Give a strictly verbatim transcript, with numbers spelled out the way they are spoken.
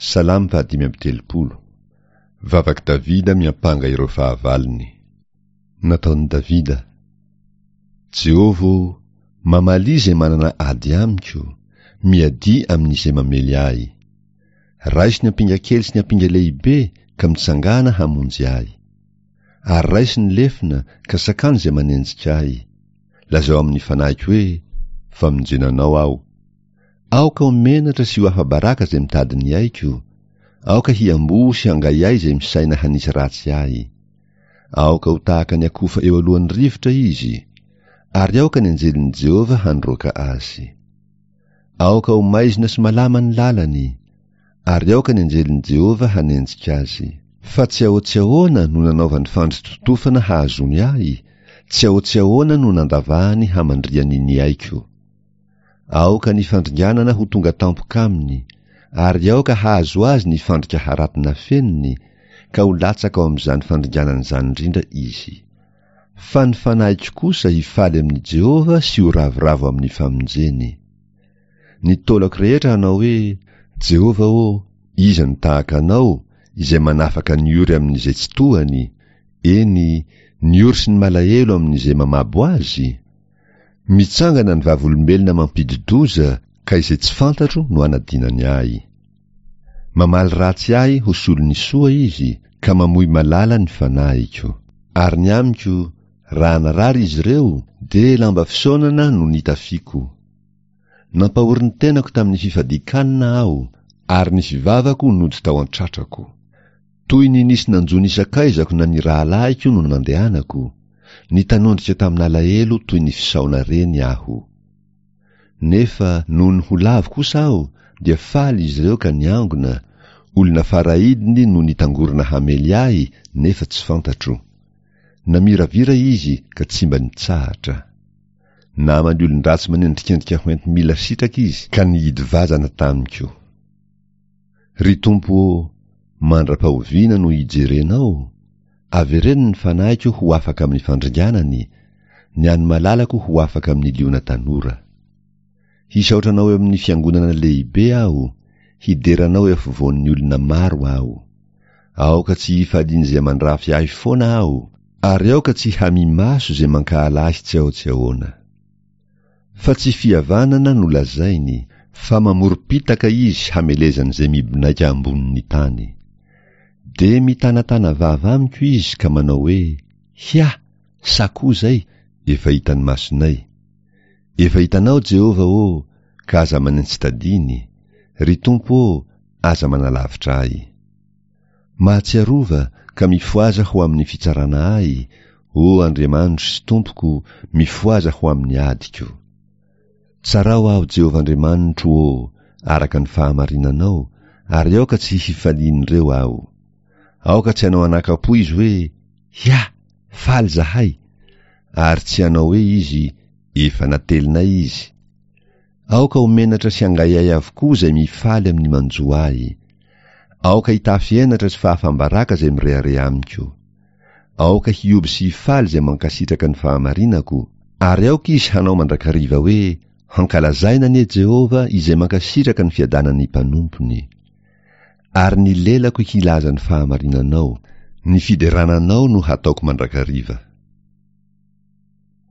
Salamo fahadimy amby telopolo. Vavak'i Davida miampanga ireo fahavalony. Nataon'i Davida. Jehovah ô, mamalia izay manana ady amiko, miadia amin'izay mamely ahy. Raiso ny ampinga kely sy ny ampinga lehibe ka mitsangàna hamonjy ahy. Ary raiso ny lefona ka sakano izay manenjika ahy. Lazao amin'ny fanahiko hoe, Famonjena anao aho. Aoka ho menatra sy ho afa-baraka izay mitady ny aiko. Aoka hiamboho sy hangaihay izay misaina hanisy ratsy ahy. Aoka ho tahaka ny akofa eo alohan'ny rivotra izy, ary aoka ny anjelin'i Jehovah handroaka azy. Aoka ho maizina sy malama ny lalany, ary aoka ny anjelin'i Jehovah hanenjika azy. Fa tsy ahoa-tsy ahoana no nanaovany fandri-totofana hahazoany ahy, tsy ahoa-tsy ahoana no nandavahany hamandrihany ny aiko. Aoka ny fandringanana ho tonga tampoka aminy, ary aoka hahazo azy ny fandrika harato nafeniny, ka ho latsaka ao amin'izany fandringanana izany indrindra izy. Fa ny fanahiko kosa hifaly amin'i Jehovah sy ho ravoravo amin'ny famonjeny. Ny taolako rehetra hanao hoe, Jehovah ô, iza no tahaka Anao, izay manafaka ny ory amin'izay tsy tohany, eny, ny ory sy ny malahelo amin'izay mamabo azy? Mitsangana ny vavolombelona mampidi-doza, ka izay tsy fantatro no anadinany ahy. Mamaly ratsy ahy ho solon'ny soa izy, ka mamoy malala ny fanahiko. Ary ny amiko, raha narary izy ireo, dia lamba fisaonana no nitafiako. Nampahory ny tenako tamin'ny fifadian-kanina aho, ary ny fivavako nody tao an-tratrako. Toy ny nisy nanjo ny sakaizako na ny rahalahiko no nandehanako, nitanondrika tamin'alahelo toy ny fisaona reny aho. Nefa nony ho lavo kosa aho, dia faly izy ireo ka niangona, olona faraidiny no nitangorona hamely ahy nefa tsy fantatro. Namiravira izy ka tsy mba nitsahatra. Naman'ny olon-dratsy manendrikendrika hoenti-mila sitraka izy ka nihidy vazana tamiko. Ry Tompo ô, mandra-pahoviana no hijerenao? Avereno ny fanahiko ho afaka amin'ny fandringanany, ny an'ny malalako ho afaka amin'ny liona tanora. Hisaotra anao eo amin'ny fiangonana lehibe aho, hidera anao eo afovoan'ny olona maro aho. Aoka tsy hifalian'izay mandrafy ahy foana aho, ary aoka tsy hamimaso izay mankahala ahy tsy ao tsy ahoana. Fa tsy fihavanana no lazainy, fa mamorom-pitaka izy hamelezany izay mibonaika ambonin'ny tany. Dia mitanatana vava amiko izy ka manao hoe, Hia, sa koa izay, efa hitan'ny masonay. Efa hitanao, Jehovah ô, ka aza manentsitadiny, ry Tompo ô, aza manalavitra ahy. Mahatsiarova ka mifohaza ho amin'ny fitsarana ahy, ô Andriamanitro sy Tompoko, mifohaza ho amin'ny adiko. Tsarao aho, Jehovah Andriamanitro ô, araka ny fahamarinanao, ary aoka tsy hifalian'ireo aho. Aoka tsy hanao anakam-po izy hoe, Hia, faly izahay! Ary tsy hanao hoe izy, Efa natelinay izy. Aoka ho menatra sy hangaihay avokoa izay mifaly amin'ny manjo ahy. Aoka hitafy henatra sy fahafam-baraka izay mirehareha amiko. Aoka hihoby sy hifaly izay mankasitraka ny fahamarinako, ary aoka izy hanao mandrakariva hoe, Hankalazaina anie Jehovah izay mankasitraka ny fiadanan'ny mpanompony. Ary ny lelako hilaza ny fahamarinanao, ny fiderana anao no hataoko mandrakariva.